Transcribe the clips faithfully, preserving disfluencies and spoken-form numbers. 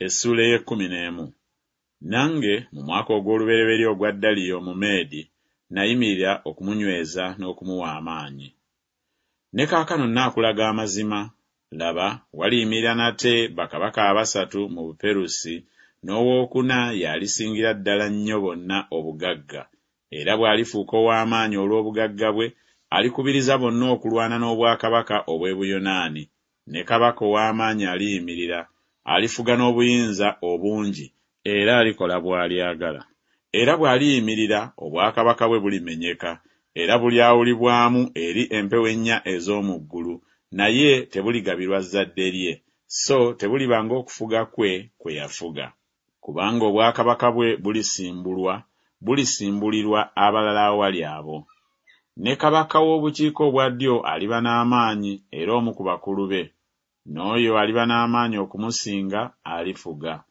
Essuula ey'ekkumi n'emu. Nange mu mwaka ogw'olubereberye ogwa Daliyo Omumeedi nayimirira okumunyweza n'okumuwa amaanyi. Ne kaakano nnaakulaga amazima, laba, waliyimirira nate bakabaka abasatu mu Buperusi, n'owokuna y'alisingira ddala nnyo bonna obugagga, era bw'alifuuka ow'amaanyi olw'obugagga bwe, alikubiriza bonna okulwana n'obwakabaka obw'e Buyonaani, ne kabaka ow'amaanyi aliyimirira, alifuga n'obuyinza obungi, era alikola bw'alyagala. Era bw'aliyimirira, obwakabaka bwe bulimenyeka, era bulyawulibwamu eri empewo ennya ez'omu ggulu, naye tebuligabirwa zzadde lye, so tebuliba ng'okufuga kwe kwe yafuga. Kubanga obwakabaka bwe bulisimbulwa, bulisimbulirwa abalala awali abo. Ne kabaka w'obukiika obwa ddyo aliba n'amaanyi, era omu ku bakulu be, n'oyo aliba n'amaanyi okumusinga alifuga.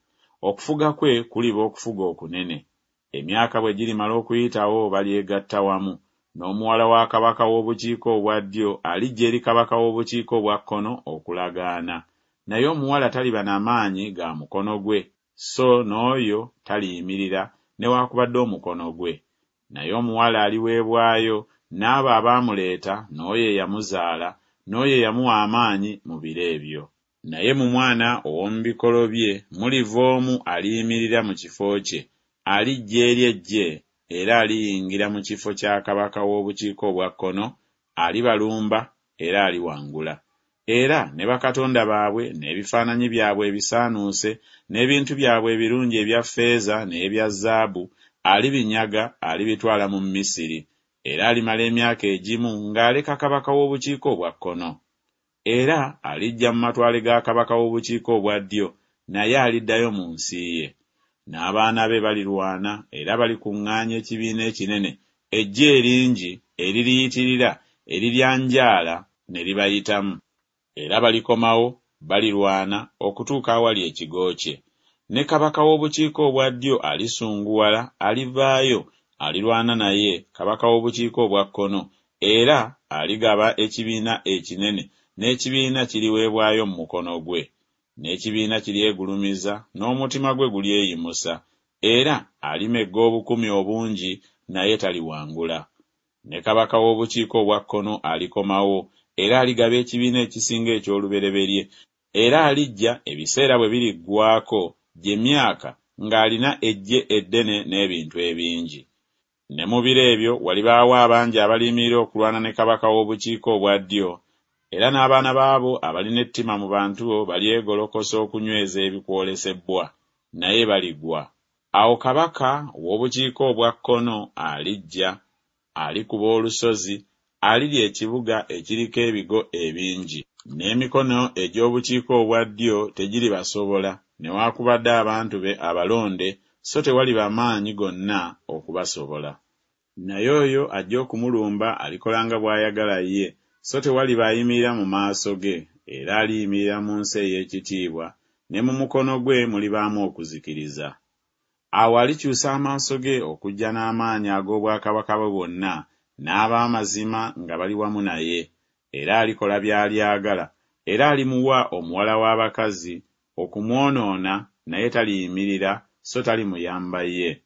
Okufuga kwe kuliba okufuga okunene. Emyaka bwe girimala okuyitawo balyegatta wamu, n'omuwala wa kabaka w'obukiika obwa ddyo alijja eri kabaka w'obukiika obwa kkono okulagaana, naye omuwala taliba na maanyi ga mukono gwe, so n'oyo taliyimirira newakubadde omukono gwe. Naye omuwala aliweebwayo n'abo abaamuleeta n'oyo eyamuzaala, n'oyo eyamuwa amaanyi mu biro ebyo. Naye mu mwana ow'omu bikolo bye muliva omu aliyimirira mu kifo kye, alijja eri eggye, era aliyingira mu kifo kya kabaka w'obukiika obwa kkono, alibalumba era aliwangula. Era ne bakatonda baabwe n'ebifaananyi byabwe ebisaanuuse n'ebintu byabwe ebirungi ebya ffeeza n'ebya zaabu alibinyaga alibitwala mu Misiri, era alimala emyaka egimu ng'aleka kabaka w'obukiika obwa kkono. Era alijja mu matwale ga kabaka w'obukiika obwa ddyo, naye aliddayo mu nsi ye. N'abaana be balirwana era balikuŋŋaanya ekibiina ekinene, eggye eringi eririyitirira eriryanjaala ne libayitamu. Era balikomawo, balirwana okutuuka awali ekigo kye. Ne kabaka w'obukiika obwa ddyo alisunguwala, alivaayo, alirwana naye, kabaka w'obukiika obwa kkono, era aligaba ekibiina ekinene, n'ekibiina kiriweebwayo mu mukono gwe. N'ekibiina kiryegulumiza, n'omutima gwe gulyeyimusa, era alimegga obukumi obungi, naye taliwangula. Ne kabaka w'obukiika obwa kkono alikomawo, era aligaba ekibiina ekisinga eky'olubereberye, era alijja ebiseera bwe biriggwaako gye myaka ng'alina eggye eddene n'ebintu ebingi. Ne mu biro ebyo walibaawo abangi abaliyimirira okulwana ne kabaka w'obukiika obwa ddyo, era n'abaana baabo abalina ettima mu bantu bo balyegolokosa okunyweza ebikwolesebbwa, naye baligwa. Awo kabaka ow'obukiika obwa kkono alijja, alikuba olusozi, alirya ekibuga ekiriko ebigo ebingi. N'emikono egy'obukiika obwa ddyo tegiribasobola, newaakubadde abantu be abalonde, so tewaliba maanyi gonna okubasobola. Naye oyo ajja okumulumba alikola nga bw'ayagala ye, so tewaliba ayimirira mu maaso ge, era aliyimirira mu nsi ey'ekitiibwa, ne mu mukono gwe mulibaamu okuzikiriza. Awo alikyusa amaaso ge okujja n'amaanyi ag'obwakabaka bwe bwonna, n'ab'amazima nga bali wamu naye, era alikola by'alyagala, era alimuwa omuwala w'abakazi okumwonoona, naye taliyimirira, so talimuyamba ye.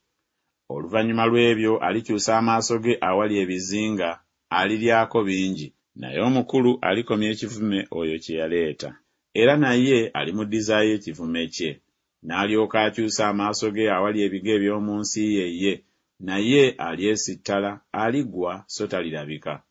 Oluvannyuma lw'ebyo alikyusa amaaso ge awali ebizinga, aliryako bingi. Naye omukulu alikomya ekivume oyo kye yaleeta, era naye alimuddizaayo ekivume kye. N'alyoka akyusa amaaso ge awali ebigo eby'omu nsi ye ye, naye alyesittala, aligwa so talirabika.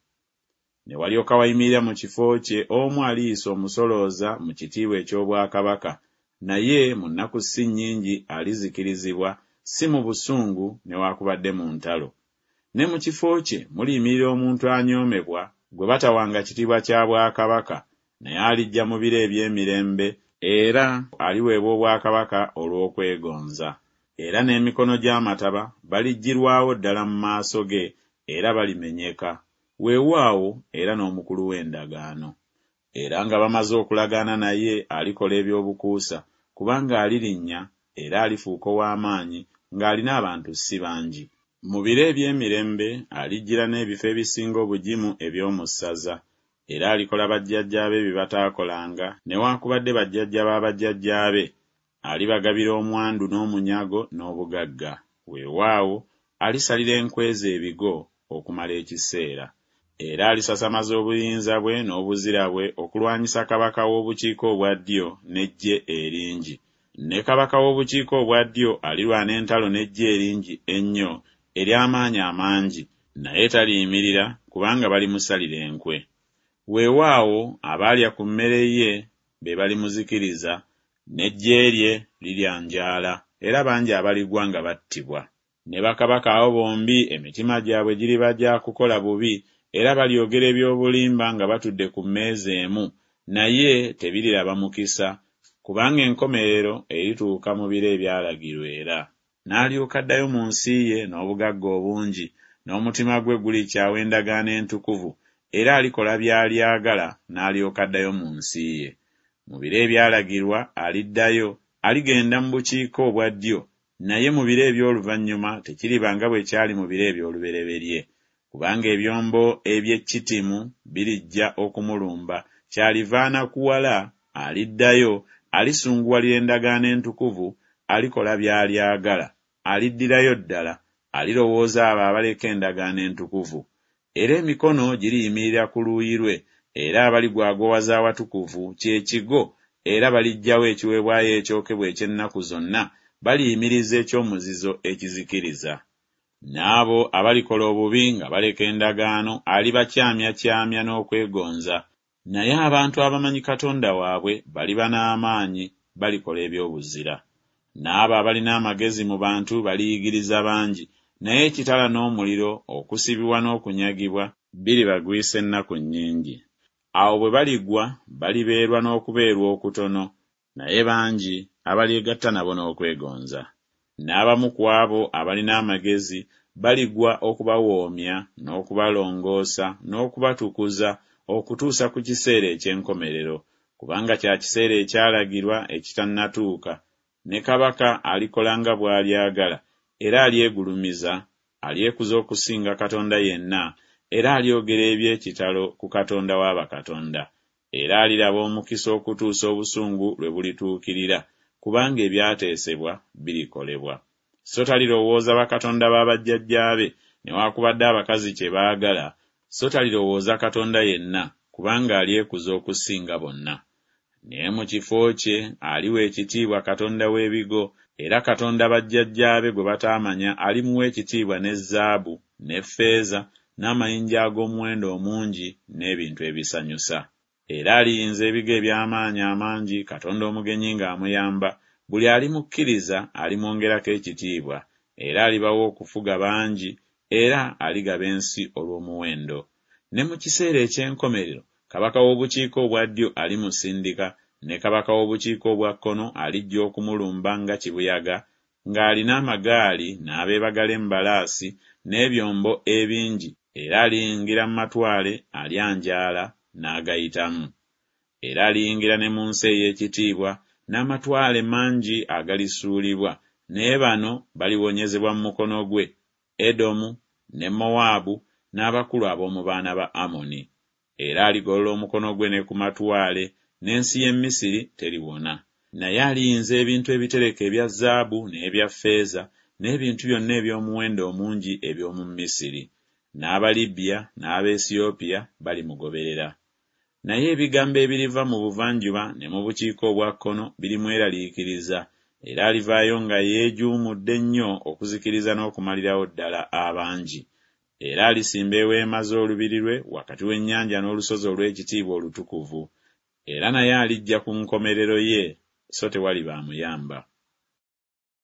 Ne walyoka wayimirira mu kifo kye omu aliyisa omusolooza mu kitiibwa eky'obwakabaka, naye mu nnaku si nnyingi alizikirizibwa, si mu busungu newaakubadde mu ntalo. Ne mu kifo kye muliyimirira omuntu anyoomebwa, gwe batawanga kitiibwa kya bwakabaka, naye alijja mu biro eby'emirembe, era aliweebwa obwakabaka olw'okwegonza. Era n'emikono gy'amataba baliggyirwawo ddala mu maaso ge, era balimenyeka, weewaawo era n'omukulu w'endagaano. Era nga bamaze okulagaana naye alikola eby'obukuusa, kubanga alirinnya era alifuuka ow'amaanyi ng'alina abantu si bangi. Mu biro eby'emirembe alijjira n'ebifo ebisinga obugimu eby'omu ssaza, era alikola bajjajjaabe bye bataakolanga, newaakubadde bajjajja ba bajjajjaabe, Alibagabira omwandu n'omunyago n'obugagga, weewaawo, alisalira enkwe ze ebigo okumala ekiseera. Era alisasamaza obuyinza bwe n'obuzira bwe okulwanyisa kabaka w'obukiika obwa ddyo n'eggye eringi. Ne kabaka w'obukiika obwa ddyo alirwana entalo n'eggye eringi ennyo ery'amaanyi amangi, naye taliyimirira, kubanga balimusalira enkwe. Weewaawo abaalya ku mmere ye be balimuzikiriza, n'eggye lye liryanjaala, era bangi abaligwa nga battibwa. Ne bakabaka abo bombi emitima gyabwe giriba gya kukola bubi, era balyogera eby'obulimba nga batudde ku mmeeza emu, naye tebiriraba mukisa, kubanga enkomerero erituuka mu biro ebyalagirwa era. N'alyoka addayo mu nsi ye n'obugagga obungi, n'omutima gwe gulikyawa endagaano entukuvu, era alikola by'alyagala n'alyoka addayo mu nsi ye. Mu biro ebyalagirwa aliddayo, aligenda mu bukiika obwa ddyo, naye mu biro eby'oluvannyuma tekiriba nga bwe kyali mu biro eby'olubereberye. Kubanga ebyombo eby'e Kittimu birijja okumulumba, kyaliva anakuwala, aliddayo, alisunguwalira endagaano entukuvu, alikola by'alyagala, aliddirayo ddala, alirowooza abo abaleka endagaano entukuvu. Era emikono giriyimirira ku luuyi lwe, era abaligwagowaza awatukuvu kye kigo, era baliggyawo ekiweebwayo ekyokebwa eky'ennaku zonna, baliyimiriza eky'omuzizo ekizikiriza. N'abo abalikola obubi nga baleka endagaano alibakyamyakyamya n'okwegonza, naye abantu abamanyi Katonda waabwe baliba n'amaanyi, balikola eby'obuzira. N'abo abalina amagezi mu bantu baliyigiriza bangi, naye ekitala n'omuliro, okusibibwa n'okunyagibwa biribagwisa ennaku nnyingi. Awo bwe baligwa balibeerwa n'okubeerwa okutono, naye bangi abalyegatta nabo n'okwegonza. N'abamu ku abo abalina amagezi baligwa okubawoomya n'okubalongoosa n'okubatukuza okutuusa ku kiseera eky'enkomerero, kubanga kya kiseera ekyalagirwa ekitannatuuka. Ne kabaka alikola nga bw'alyagala, era alyegulumiza, alyekuza okusinga Katonda yenna, era alyogera eby'ekitalo ku Katonda wa bakatonda. Era aliraba omukisa okutuusa obusungu lwe bulituukirira, kubanga ebyateesebwa birikolebwa. So talirowooza bakatonda ba bajjajjaabe, newakubadde abakazi kye baagala, so talirowooza Katonda yenna, kubanga alyekuza okusinga bonna. Naye mu kifo kye aliwa ekitiibwa Katonda w'ebigo, era Katonda bajjajjaabe gwe bataamanya alimuwa ekitiibwa ne zaabu, ne ffeeza, n'amayinja ag'omuwendo omungi, n'ebintu ebisanyusa. Era aliyinza ebigo eby'amaanyi amangi, Katonda omugenyi ng'amuyamba, buli alimukkiriza alimwongerako ekitiibwa, era alibawa okufuga bangi, era aligaba ensi olw'omuwendo. Ne mu kiseera eky'enkomerero kabaka w'obukiika obwa ddyo alimusindika, ne kabaka w'obukiika obwa kkono alijja okumulumba nga kibuyaga, ng'alina amagaali n'abeebagala embalaasi n'ebyombo ebingi, era aliyingira mu matwale, alyanjaala n'agayitamu. Era aliyingira ne mu nsi ey'ekitiibwa, n'amatwale mangi agalisuulibwa, naye bano baliwonyezebwa mu mukono gwe, Edomu ne Mowaabu n'abakulu ab'omu baana ba Amoni. Era aligolola omukono gwe ne ku matwale, n'ensi y'e Misiri teribona. Naye aliyinza ebintu ebitereke ebya zaabu n'ebya ffeeza, n'ebintu byonna eby'omuwendo omungi eby'omu Misiri. N'Abalibya n'Abaesiyopiya balimugoberera. Naye ebigambo ebiriva mu buvanjuba ne mu bukiika obwa kkono birimweraliikiriza, era alivaayo nga yeejuumudde nnyo okuzikiriza n'okumalirawo ddala abangi. Era alisimba eweema z'olubiri lwe wakati w'ennyanja n'olusozi olw'ekitiibwa olutukuvu. Era naye alijja ku nkomerero ye, so tewaliba amuyamba.